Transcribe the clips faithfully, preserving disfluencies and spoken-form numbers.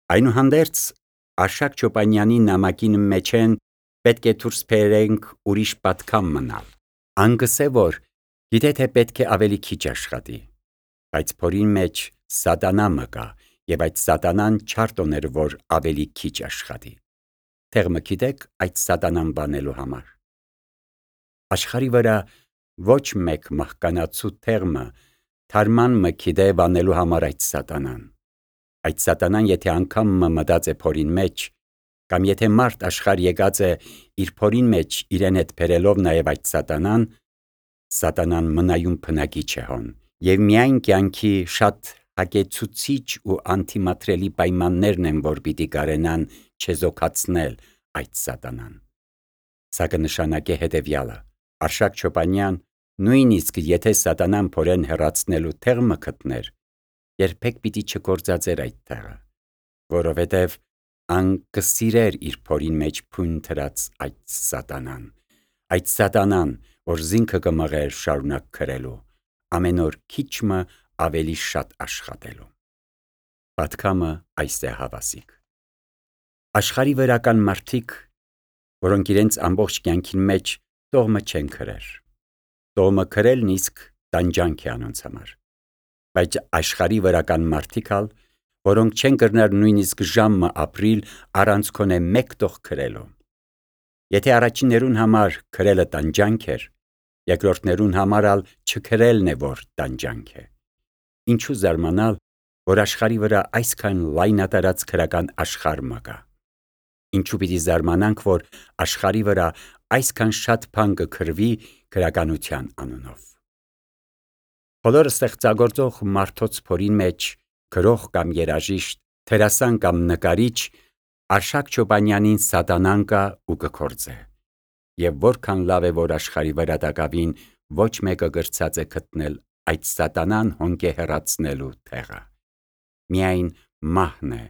Այնուհանդերձ Արշակ Չոպանյանի նամակին մեջեն պետք է դուրս բերենք ուրիշ պատկամ մնալ։ Անգսե որ գիտե թե պետք է ավելի քիչ աշխատի, բայց փորին մեջ սատանա մկա, եւ այդ սատանան չարտոներ որ ավելի քիչ աշխատի։ Թեղ մը գիտեք այդ սատանան բանելու համար։ Աշխարի վրա ոչ մեկ մահկանացու թեղմը թարման մը գիտե բանելու համար այդ սատանան։ Այդ սատանան եթե անգամ մը մտած է փորին մեջ, կամ եթե մարդ աշխարհ եկած է իր փորին մեջ իրեն հետ բերելով նաև այդ սատանան, սատանան մնայուն փնագիչ է հոն, եւ միայն կյանքի շատ հագեցուցիչ ու անթիմատրելի պայմաններն են, որ պիտի կարենան չեզոքացնել այդ սատանան։ Սա կնշանակե հետևյալը. Արշակ Չոպանյան նույնիսկ եթե սատանան փորեն հեռացնելու թեղմը գտներ, երբեք պիտի չգործածեր այդ թեղը, որովհետև ան կսիրեր իր փորին մեջ փույն թրած այդ սատանան, այդ սատանան, որ զինքը կմղեր շարունակ քրելու, ամեն օր քիչմը ավելի շատ աշխատելու։ Պատկամը այս է հավասիկ։ Աշխարի վրա կան մարդիկ, որոնք իրենց ամբողջ կյանքին մեջ տողմը չեն քրեր։ Տողմը քրելն իսկ տանջանք է անոնց համար։ Բայց աշխարի վրա կան մարդիկ ալ, որոնք չեն կրնար նույնիսկ ժամը ապրիլ առանց քոնե մեկ տող քրելու։ Եթե առաջիններուն համար քրելը տանջանք էր, երկրորդներուն համար ալ չքրելն է որ տանջանք է։ Ինչու զարմանալ, որ աշխարի վրա այսքան լայնատարած քրական աշխարհ մը կա։ Ինչու պիտի զարմանանք, որ աշխարի վրա այսքան շատ բան կքրվի քրականության անունով։ Բոլոր ստեղծագործող մարդոց փորին մեջ գրող կամ երաժիշտ, դերասան կամ նկարիչ Արշակ Չոպանյանին սատանան կա ու կգործե։ Եվ որքան լավ է որ աշխարի վրա տակավին ոչ մեկը գրծած է գտնել այդ սատանան հոնկե հեռացնելու թեղը։ Միայն մահն է,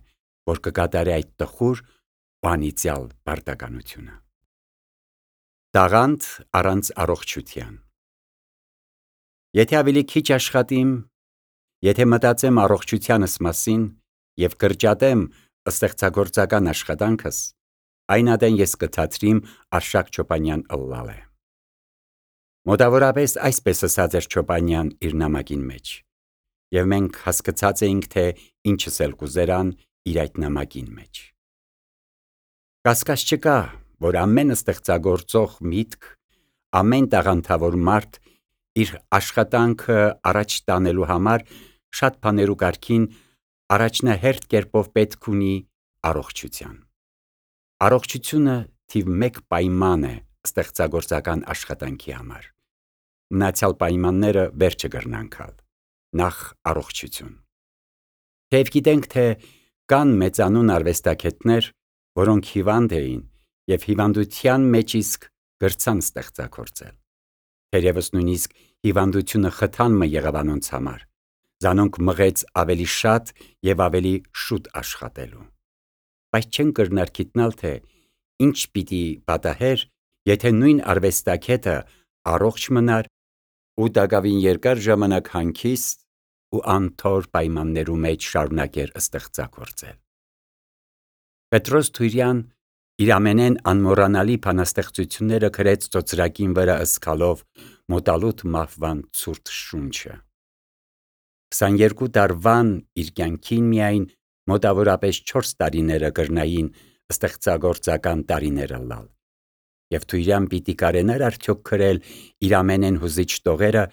որ կկատարի այդ տխուր ու անիծյալ պարտականությունը։ Տաղանդ առանց առողջության։ Եթե ավելի քիչ աշխատիմ, եթե մտածեմ առողջությանս մասին եւ կրճատեմ ստեղծագործական աշխատանքս, այն ադեն ես կթատրիմ Արշակ Չոպանյան ըլլալը։ Մոտավորապես այսպես ասած էր Չոպանյան իր նամակին մեջ, եւ մենք հասկացած էինք, թե ինչս էլ կուզերան իր այդ նամակին մեջ։ Կասկած չկա, որ ամեն ստեղծագործող միտք, ամեն տաղանդավոր մարդ իր աշխատանքը առաջ տանելու համար շատ բաներու կարգին առաջնահերթ կերպով պետք ունի առողջության։ Առողջությունը թիվ մեկ պայման է ստեղծագործական աշխատանքի համար։ Մնացյալ պայմանները վերջը կրնանքալ։ Նախ առողջություն։ Թեև գիտենք, թե կան մեծանուն արվեստագետներ, որոնք հիվանդ էին եւ հիվանդության մեջ իսկ գրցան ստեղծագործել։ Թերևս նույնիսկ հիվանդությունը խթան մը եղավ անոնց համար, զանոնք մղեց ավելի շատ եւ ավելի շուտ աշխատելու։ Բայց չեն կրնար գիտնալ, թե ինչ պիտի պատահեր, եթե նույն արվեստագետը առողջ մնար ու տակավին երկար ժամանակ հանգիստ ու անթոր պայմաններու մեջ շարունակեր ստեղծագործել։ Պետրոս Թուրյան իր ամենեն անմոռանալի բանաստեղծությունները գրեց ծոծրակին վրա ըսկալով մոտալուտ մահվան ցուրտ շունչը։ քսաներկու տարվան իր կյանքին միայն մոտավորապես չորս տարիները կրնային ստեղծագործական տարիները լալ։ Եվ Թուրյան պիտի կարենար արդյոք գրել իր ամենեն հուզիչ տողերը,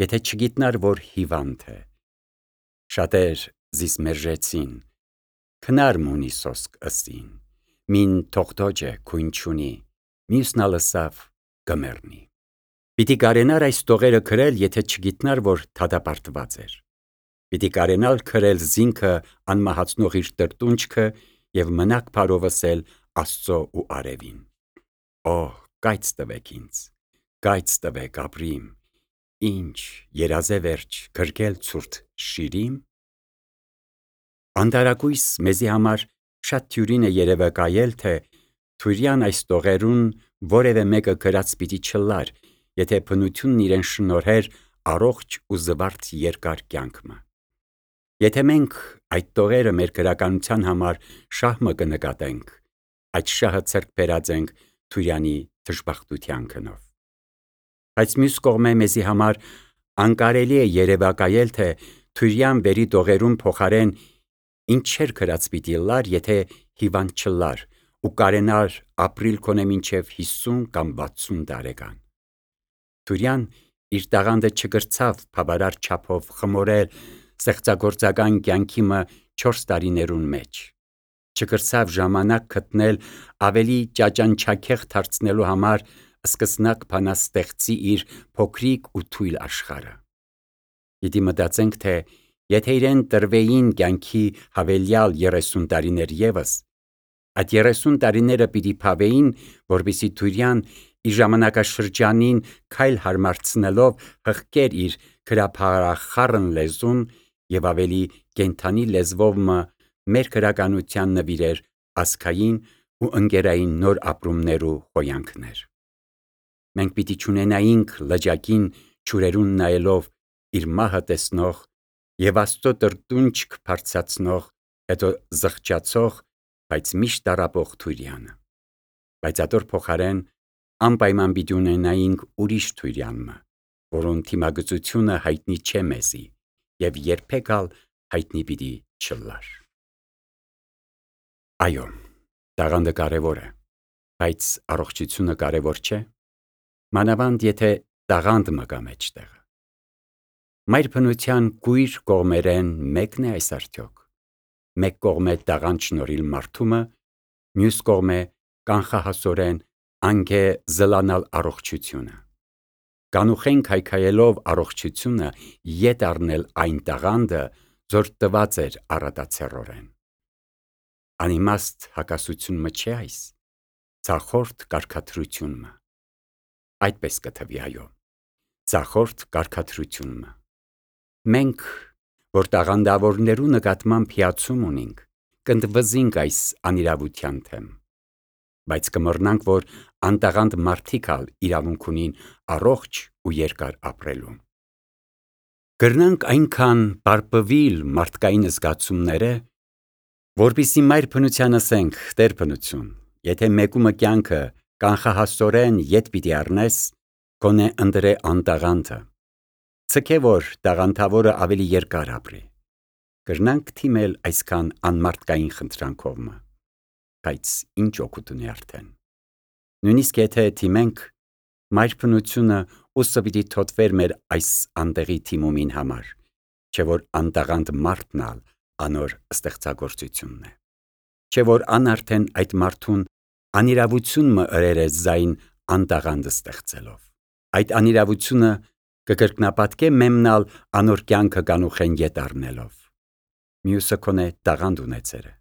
եթե չգիտնար, որ հիվանդ է։ Շատեր զիս մերժեցին, քնար մունի սոսկ ըսին, մին թողտոջ է քույն չունի, մյուսն ալսավ կմեռնի։ Պիտի կարենար այս տողերը գրել, եթե չգիտնար, որ թադապարտված էր։ Պիտի կարենալ գրել զինքը անմահացնող իր տրտունջքը եւ մնաք բարովսել Աստծո ու արևին։ Օ, կայծ տվեք ինձ, կայծ տվեք ապրիմ, ինչ երազե վերջ գրկել ցուրտ շիրիմ։ Անտարակույս մեզի համար շատ թյուրին է երևը կայել, թե Թուրյան այս տողերուն որևէ մեկը գրած պիտի չլար, եթե բնությունն իրեն շնորհեր առողջ ու զվարթ երկար կյանքը։ Եթե մենք այդ տողերը մեր գրականության համար շահմը կնկատենք, այդ շահը ցերկ բերած ենք Թուրյանի դժբախտության գնով։ Բայց մյուս կողմէ մեզի համար անկարելի է երևակայել, թե Թուրյան վերի տողերուն փոխարեն ինչեր գրած պիտի լար, եթե հիվանդ չլար ու կարենար ապրիլ քոնե մինչև հիսուն կամ վաթսուն տարեկան։ Թուրյան իր տաղանդը չգրցավ բավարար չափով խմորել ստեղծագործական կյանքի չորս տարիներուն մեջ, չգրցավ ժամանակ գտնել ավելի ճաճանչաքեղ դարձնելու համար սկսնակ բանաստեղծի իր փոքրիկ ու թույլ աշխարհը։ Պիտի մտածենք, թե եթե իրեն տրվեին կյանքի հավելյալ երեսուն տարիներ ևս, այդ երեսուն տարիները պիտի փավեին, որպեսզի Թուրյան իր ժամանակաշրջանին քայլ հարմարցնելով հղկեր իր գրաբարախառն լեզուն և ավելի կենդանի լեզվով մեր գրականության նվիրեր ազգային ու ընկերային նոր ապրումներ ու խոյանքներ։ Մենք պիտի չունենայինք լճակին ջուրերուն նայելով իր մահը տեսնող և Աստծո տրտունջք բարձրացնող, հետո զղջացող, բայց միշտ տառապող Թուրյանը, բայց ատոր փոխարեն անպայման պիտի ունենայինք ուրիշ Թուրյան, որուն թիմագծությունը հայտնի չէ մեզի և երբեք ալ հայտնի պիտի չլար։ Այո, տաղանդը կարևոր է, բայց առողջությունը կարևոր չէ, մանավանդ եթե տաղանդ մը կա մեջտեղը։ Մայր բնության կույր կողմերեն մեկն է այս արդյոք։ Մեկ կողմէ տաղանդ շնորհիլ մարդումը, մյուս կողմէ կանխահասորեն անգե զլանալ առողջությունը։ Կանուխեն քայքայելով առողջությունը ետ առնել այն տաղանդը, որ տված էր առատացեռորեն։ Անիմաստ հակասություն մը չէ այս, ցախորդ կարգադրություն մը։ Այդպես կթվի, այո, ցախորդ կարգադրություն մը։ Մենք, որ տաղանդավորներու նկատմամբ հիացում ունենք, կընդվզինք այս անիրավության թեմ, բայց կմռնանք, որ անտաղանդ մարդիկ ալ իրավունք ունին առողջ ու երկար ապրելու։ Կրնանք այնքան պարպվիլ մարդկային զգացումները, որպեսզի մայր բնության ասենք. «Տեր բնություն, եթե մեկումը կյանքը կանխահասորեն ետ պիտի առնես, գոնե ընտրե անտաղանդը, ցկե որ տաղանդավորը ավելի երկար ապրի»։ Կրնանք թիմել այսքան անմարդկային խնդրանքով մը, բայց ինչ օգուտ ունի արդեն։ Նույնիսկ եթե թիմենք, մայր բնությունը ուսը պիտի թոթվեր մեր այս անտեղի թիմումին համար, չէ որ անտաղանդ մարդն ալ անոր ստեղծագործությունն է, չէ որ ան արդեն այդ մարդուն անիրավություն մը ըրեր է զայն անտաղանդը ստեղծելով։ Այդ անիրավությունը կկրկնապատկե մեմնալ անոր կյանքը կանուխեն ետ առնելով։ Մյուսը քոնե տաղանդ ունեցեր է,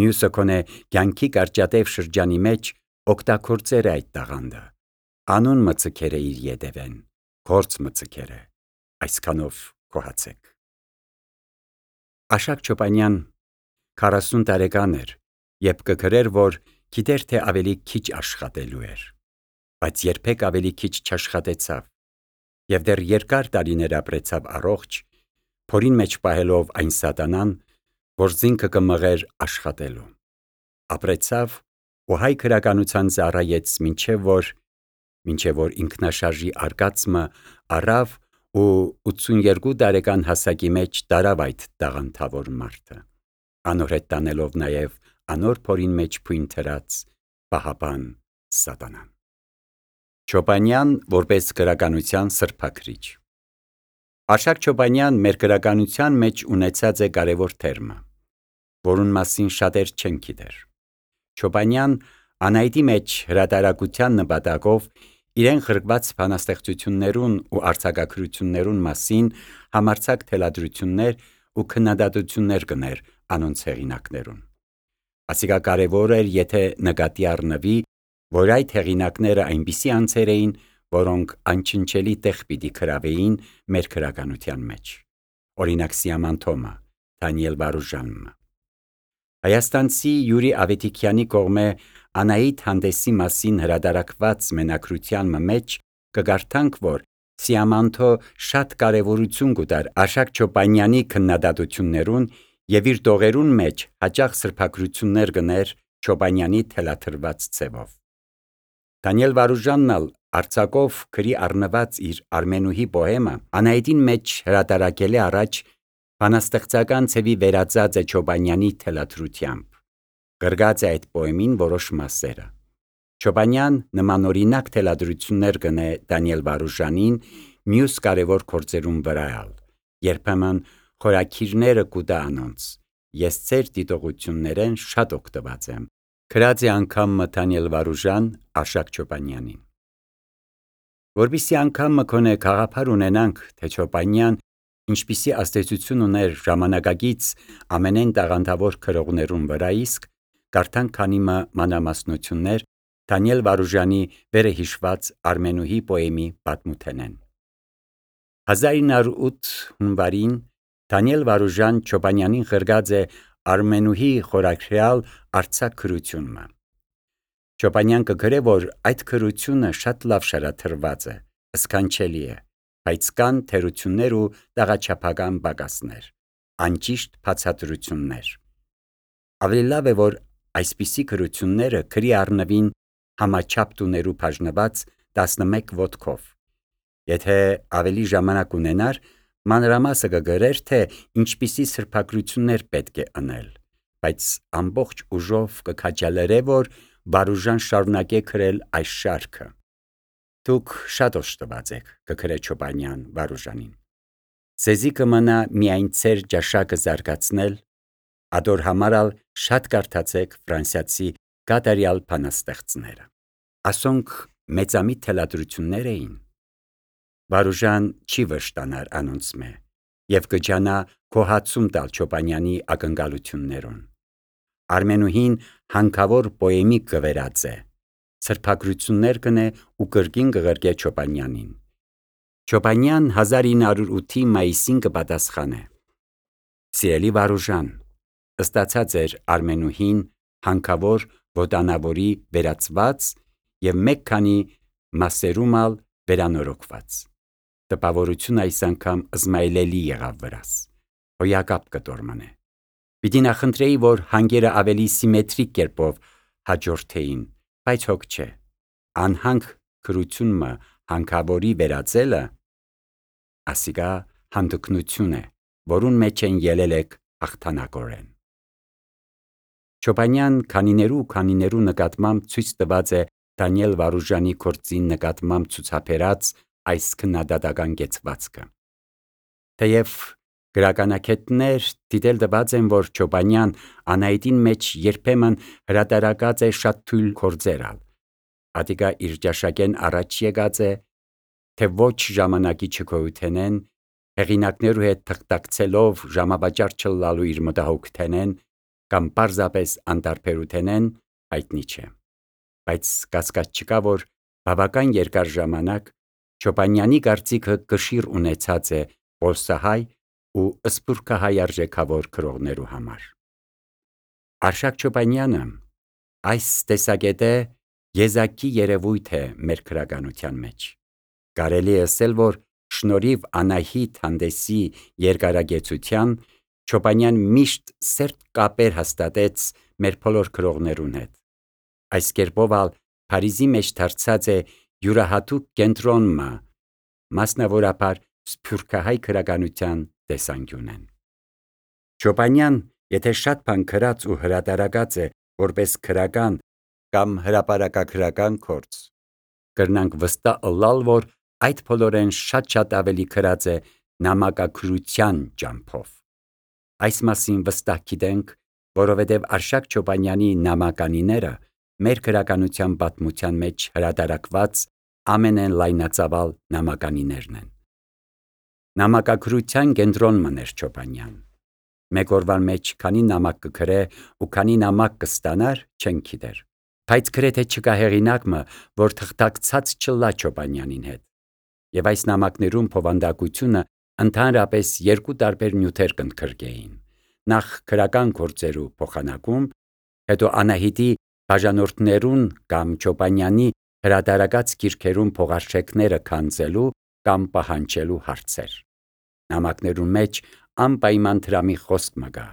մյուսը քոնե կյանքի կարճատև շրջանի մեջ օգտագործեր է այդ տաղանդը, անուն մը ցկեր է իր ետևեն, գործ մը ցկեր է, այսքանով գոհացեք։ Աշակ Չոպանյան քառասուն տարեկան էր, երբ կգրեր, որ գիտեր, թե ավելի քիչ աշխատելու էր, բայց երբեք ավելի քիչ չաշխատեցավ և դեռ երկար տարիներ ապրեցավ առողջ, փորին մեջ պահելով այն սատանան, որ զինքը կմղեր աշխատելու։ Ապրեցավ ու հայ գրականության ծառայեց մինչև որ, մինչև որ ինքնաշարժի արկածը առավ ու ութսուներկու տարեկան հասակի մեջ տարավ այդ տաղանդավոր մարդը, անոր հետ տանելով նաև անոր փորին մեջ փույն թրած պահապան սատանան։ Չոպանյան որպես գրականության սրբաքրիչ։ Աշակ Չոպանյան մեր գրականության մեջ ունեցած է կարևոր թերմը, որուն մասին շատեր չեն գիտեր։ Չոպանյան Անահիտի մեջ հրատարակության նպատակով իրեն խրկված բանաստեղծություններուն ու արձակագրություններուն մասին համարձակ թելադրություններ ու քննադատություններ կներ անոնց հեղինակներուն։ Ասիկա կարևոր էր, եթե նկատի առնվի, որ այդ հեղինակները այնպիսի անձեր էին, որոնք անչնչելի տեղ պիտի գրավեին մեր գրականության մեջ։ Օրինակ Սիաման Թոմը, Դանիել Վարուժանը։ Հայաստանցի Յուրի Ավետիքյանի կողմէ Անահիտ հանդեսի մասին հրատարակված մենակրության մեջ կգարթանք, որ Սիամանթո շատ կարևորություն կուտար Արշակ Չոպանյանի քննադատություններուն եւ իր տողերուն մեջ հաճախ սրբագրություններ գներ Չոպանյանի թելաթրված ցևով։ Դանիել Վարուժանն ալ արձակով գրի առնված իր Արմենուհի պոեմը Անահիտին մեջ հրատարակել է առաջ բանաստեղծական ցևի վերածած է Չոպանյանի թելաթրությամբ։ Գրգած է այդ պոեմին որոշ մասերը։ Չոպանյան նմանօրինակ թելադրություններ գնե Դանիել Վարուժանին մյուս կարևոր գործերուն վրայալ, երբեմն խորաքիրները կուտա անոնց, ես ծեր դիտողություններեն շատ օգտված եմ, գրած է անգամ Դանիել Վարուժան Արշակ Չոպանյանին։ Որպեսզի անգամ մկոնե գաղափար ունենանք, թե Չոպանյան ինչպիսի ազդեցություն ուներ ժամանակակից ամենեն տաղանդավոր գրողներուն վրա, իսկ կարդանք քանի մանրամասնություններ Դանիել Վարուժանի վերը հիշված Արմենուհի պոեմի պատմութենեն։ հազար ինը հարյուր ութ հունվարին Դանիել Վարուժան Չոպանյանին գրգած է Արմենուհի խորագրյալ արձակ գրությունը։ Չոպանյան կգրե, որ այդ գրությունը շատ լավ շարադրված է, սքանչելի է, բայց կան թերություններ ու տաղաչափական պակասներ, անճիշտ բացատրություններ։ Ավելի լավ է, որ այսպիսի գրությունները գրի առնվին համաչափ տուներու բաժնված տասնմեկ ոտքով։ Եթե ավելի ժամանակ ունենար, մանրամասը կգրեր, թե ինչպիսի սրբագրություններ պետք է անել, բայց ամբողջ ուժով կքաջալերե, որ Վարուժան շարունակե գրել այս շարքը։ Դուք շատ օժտված եք, կգրե Չոպանյան Վարուժանին։ Ձեզի կմնա միայն ձեր ճաշակը զարգացնել, ադոր համարալ շատ կարդացեք ֆրանսիացի կատարյալ բանաստեղծները։ Ասոնք մեծամիտ թելադրություններ էին։ Վարուժան չի վշտանար անոնց մե եւ կջանա գոհացում տալ Չոպանյանի ակնկալություններուն։ Արմենուհին հանքավոր պոեմի կվերած է, սրբագրություններ կնե ու կրկին կղրկե Չոպանյանին։ Չոպանյան հազար ինը հարյուր ութի մայիսին կպատասխանե. Սիրելի Վարուժան, ստացած էր Արմենուհին հանքավոր ոտանավորի վերածված եւ մեկ քանի մասերում ալ վերանորոգված։ Տպավորություն այս անգամ զմայլելի եղավ վրաս, հոյակապ կտոր մնե։ Պիտի նախընտրեի, որ հանգերը ավելի սիմետրիկ կերպով հաջորդեին, բայց հոգ չէ, անհանք գրությունը հանքավորի վերածելը ասիկա հանդգնություն է, որուն մեջ են ելել եք հաղթանակորեն։ Չոպանյան քանիներու ու քանիներու նկատմամբ ցույց տված է Դանիել Վարուժանի գործին նկատմամբ ցուցաբերած այս քննադատական կեցվածքը։ Թեև գրականագետներ դիտել տված են, որ Չոպանյան Անահիտին մեջ երբեմն հրատարակած է շատ թույլ գործերալ, ատիկա իր ճաշակեն առաջ եկած է, թե ոչ ժամանակի չգոյութենեն, հեղինակներու հետ թղթակցելով ժամավաճառ չլալու իր մտահոգութենեն կամ պարզապես անտարբերութենեն, հայտնի չէ։ Բայց կասկած չկա, որ բավական երկար ժամանակ Չոպանյանի կարծիքը կշիռ ունեցած է պոլսահայ ու սփյուռքահայ արժեքավոր գրողներու համար։ Արշակ Չոպանյանը այս տեսակետե եզակի երևույթ է մեր գրականության մեջ։ Կարելի է ասել, որ շնորհիվ Անահիտ հանդեսի երկարագեցության Չոպանյան միշտ սերտ կապեր հաստատեց մեր բոլոր գրողներուն հետ։ Այս կերպով ալ Փարիզի մեջ դարձած է յուրահատուկ կենտրոնը, մասնավորապես սփյուռքահայ գրականության տեսանկյունեն։ Չոպանյան, եթե շատ բան գրած ու հրատարակած է որպես գրական կամ հրապարակագրական գործ, կրնանք վստահ ըլլալ, որ այդ բոլորեն շատ-շատ ավելի գրած է նամակագրության ճամփով։ Այս մասին վստահ գիտենք, որովհետև Արշակ Չոպանյանի նամականիները մեր գրականության պատմության մեջ հրատարակված ամենեն լայնածավալ նամականիներն են։ Նամակագրության կենտրոնն էր Չոպանյան։ Մեկ օրվան մեջ քանի նամակ կգրե ու քանի նամակ կստանար, չենք գիտեր, բայց գրեթե չկա հեղինակը, որ թղթակցած չլա Չոպանյանին հետ։ Եվ այս նամակներում բովանդակությունը ընդհանրապես երկու տարբեր նյութեր կընդգրկեին. նախ գրական գործերու փոխանակում, հետո Անահիտի բաժանորդներուն կամ Չոպանյանի հրատարակած գիրքերուն փողարշեքները քանձելու կամ պահանջելու հարցեր։ Նամակներուն մեջ անպայման տրամի խոսք մը գա,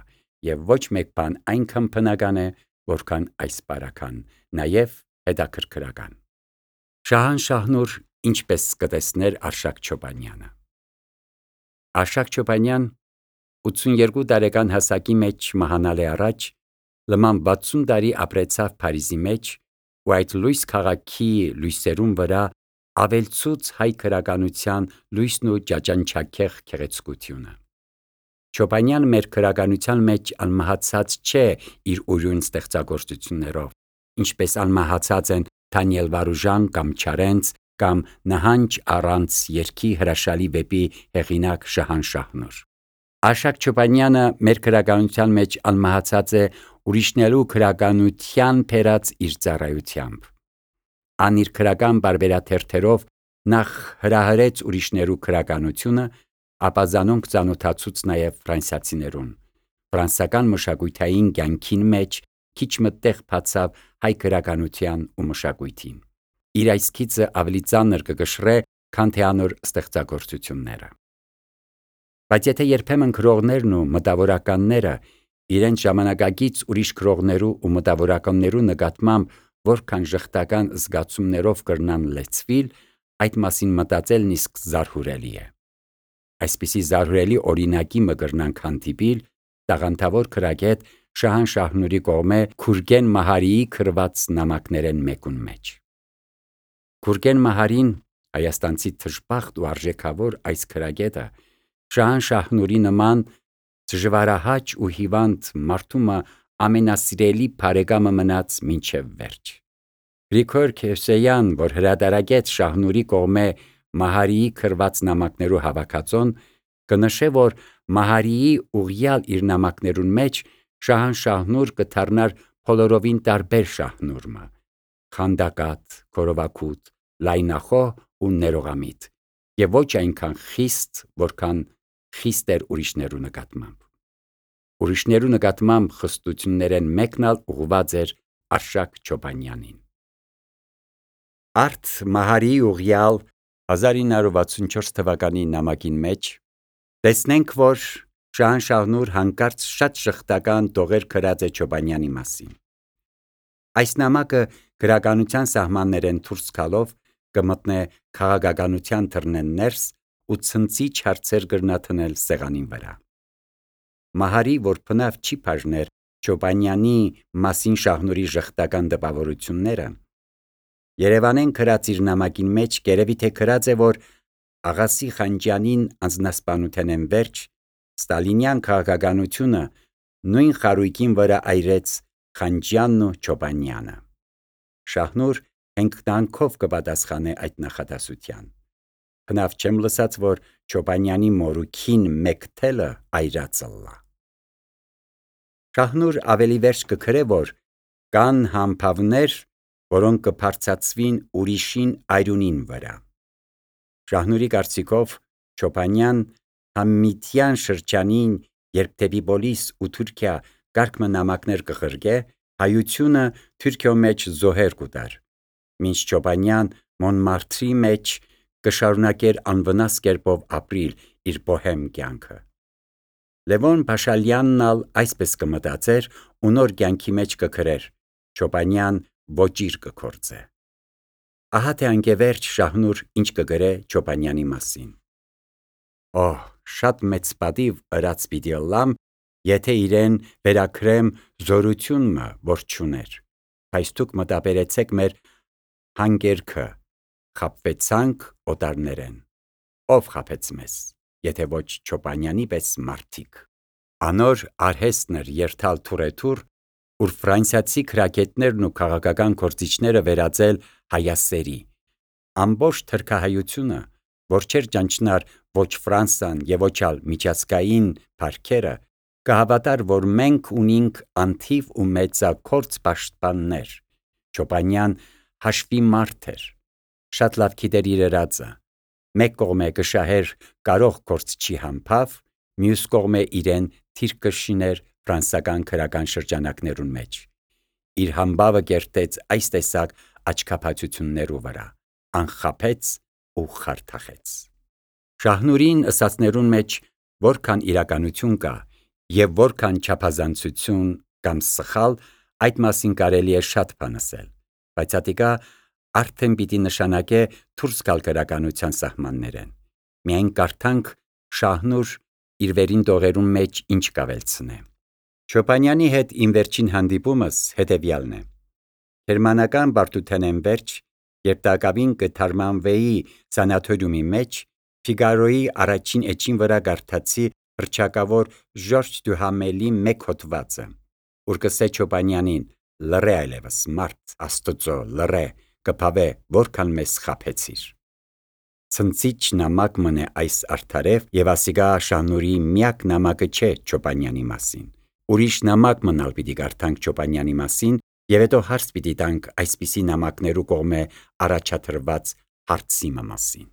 եւ ոչ մեկ բան այնքան բնական է, որքան այս բարական, նաեւ հետաքրքրական։ Շահանշահնուր ինչպես կտեսներ Արշակ Չոբանյանը։ Արշակ Չոբանյան ութսունյոթ տարեկան հասակի մեջ մահանալ է առաջ, լման վաթսուն տարի ապրեցավ Փարիզի մեջ ու այդ լույս քաղաքի լույսերուն վրա ավելցուց հայ քրագանության լույսն ու ջաջանչակեղ գեղեցկությունը։ Չոբանյան մեր քրագանության մեջ անմահացած չէ իր ուրույն ստեղծագործություններով, ինչպես անմահացած են Դանիել Վարուժան կամ Չարենց կամ Նահանջ առանց երգի հրաշալի վեպի հեղինակ Շահանշահնուր։ Արշակ Չոբանյանը մեր քրագանության մեջ անմահացած է ուրիշներու քրագանության բերած իր ծառայությամբ։ Ան իր քրական բարբերաթերթերով նախ հրահրեց ուրիշներու քրագանությունը, ապա զանոնք ծանոթացուց նաև ֆրանսիացիներուն։ Ֆրանսական մշակութային կյանքին մեջ քիչ մը տեղ բացավ հայ քրագանության ու մշակույթին։ Իր այս գիծը ավելի ծանր կգշռե, քան թե անոր ստեղծագործությունները։ Բայց եթե երբեմն գրողներն ու մտավորականները իրենց ժամանակակից ուրիշ գրողներու ու մտավորականներու նկատմամբ որքան ժխտական զգացումներով կրնան լեցվիլ, այդ մասին մտածելն իսկ զարհուրելի է։ Այսպիսի զարհուրելի օրինակի մը կրնանք հանդիպիլ տաղանդավոր քրագետ Շահանշահնուրի կողմէ Գուրգեն Մահարիի գրված նամակներեն մեկուն մեջ։ Գուրգեն Մահարին, հայաստանցի թշբախտ ու արժեքավոր այս քրագետը, Շահանշահնուրի նման դժվարահաճ ու հիվանդ մարդու մը ամենասիրելի բարեկամը մնաց մինչև վերջ։ Գրիգոր Քերսեյան, որ հրատարակեց Շահնուրի կողմէ Մահարիի գրված նամակներու հավաքածոն, կնշե, որ Մահարիի ուղյալ իր նամակներուն մեջ Շահանշահնուր կդառնար բոլորովին տարբեր Շահնուրը՝ խանդակատ, քորովակուտ, լայնախոհ ու ներողամիտ, եւ ոչ այնքան խիստ, որքան խիստ էր ուրիշներու նկատմամբ։ Ուրիշներու նկատմամբ խստություններեն մեկն ալ ուղղված էր Արշակ Չոբանյանին։ Արդ Մահարիի ուղյալ հազար ինը հարյուր վաթսունչորս թվականի նամակին մեջ տեսնենք, որ Շահանշահնուր հանկարծ շատ ժխտական տողեր գրած է Չոբանյանի մասին։ Այս նամակը գրականության սահմաններեն դուրս գալով կմտնե քաղաքականության թռնեն ներս ու ցնցիչ հարցեր կրնաթնել սեղանին վրա։ Մահարի, որ բնավ չի բաժներ Չոբանյանի մասին Շահնուրի ժխտական տպավորությունները, Երևանեն գրած իր նամակին մեջ գերեւի թե գրած է, որ Աղասի Խանջյանին անձնասպանութենեն վերջ ստալինյան քաղաքականությունը նույն խարույկին վրա այրեց Խանջյանն ու Չոբանյանը։ Շահնուր հենգտանքով կպատասխանե այդ նախադասության։ Բնավ չեմ լսած, որ Չոբանյանի մորուքին մեկ թելը այրածլլա։ Շահնուր ավելի վերջ կգրե, որ կան համբավներ, որոնք կբարձրացվին ուրիշին այրունին վրա։ Շահնուրի կարծիքով Չոբանյան համմիթյան շրջանին, երբ դեպի Պոլիս ու Թուրքիա կարգ մը նամակներ կղրկե, հայությունը Թուրքիո մեջ զոհեր կուտար, մինչ Չոբանյան Մոնմարթրի մեջ կշարունակեր անվնաս կերպով ապրիլ իր բոհեմ կյանքը։ Լևոն Փաշալյանն ալ այսպես կմտածեր ու նոր կյանքի մեջ կգրեր. Չոբանյան ոճիր կգործե։ Ահա թե անկևերջ Շահնուր ինչ կգրե Չոբանյանի մասին։ Օհ, շատ մեծ պատիվ ըրած պիտի ըլլամ, եթե իրեն վերագրեմ զորությունը, որ չուներ, բայց դուք մտաբերեցեք մեր հանգերքը, խաբվեցանք օտարներեն, ով խաբեց մեզ, եթե ոչ Չոբանյանի պես մարդիկ։ Անոր արհեստն էր երթալ թուրեթուր, ուր ֆրանսիացի քրագետներն ու քաղաքական գործիչները վերածել հայասերի, ամբողջ թրքահայությունը, որ չէր ճանչնար ոչ Ֆրանսան եւ ոչ ալ միջազգային փառքերը, կհավատար, որ մենք ունինք անթիվ ու մեծագործ պաշտպաններ։ Չոբանյան հաշվի մարդ էր, շատ լավ գիտեր իր ըրածը, մեկ կողմէ կշահեր կարող գործչի համբավ, մյուս կողմէ իրեն թիրք կշիներ ֆրանսական քրական շրջանակներուն մեջ։ Իր համբավը կերտեց այս տեսակ աչքաբացություններու վրա, անխաբեց ու խարդախեց։ Շահնուրին ըսածներուն մեջ որքան իրականություն կա եւ որքան չափազանցություն կամ սխալ, այդ մասին կարելի է շատ բան ասել, բայց ատիկա արդեն պիտի նշանակե դուրս գալ գրականության սահմաններեն։ Միայն կարդանք Շահնուր իր վերին տողերուն մեջ ինչ կավելցնե։ Չոպանյանի հետ իմ վերջին հանդիպումս հետևյալն է։ Գերմանական բարդութենեն վերջ, երբ տակավին կթարմանվեի սանատորիումի մեջ, Ֆիգարոյի առաջին էջին վրա կարդացի հռչակավոր Ժորժ Դյուհամելի մեկ հոդվածը, ուր կսե Չոպանյանին. «Լռե այլևս, մարդ Աստծո, լռե, կփավե, որքան մեզ խաբեցիր»։ Ցնցիչ նամակ մնե այս արդարև եւ ասիկա Շահնուրի միակ նամակը չէ Չոպանյանի մասին։ Ուրիշ նամակ մնալ պիտի կարդանք Չոպանյանի մասին եւ հետո հարց պիտի տանք այսպիսի նամակներու կողմէ առաջադրված հարցի մասին։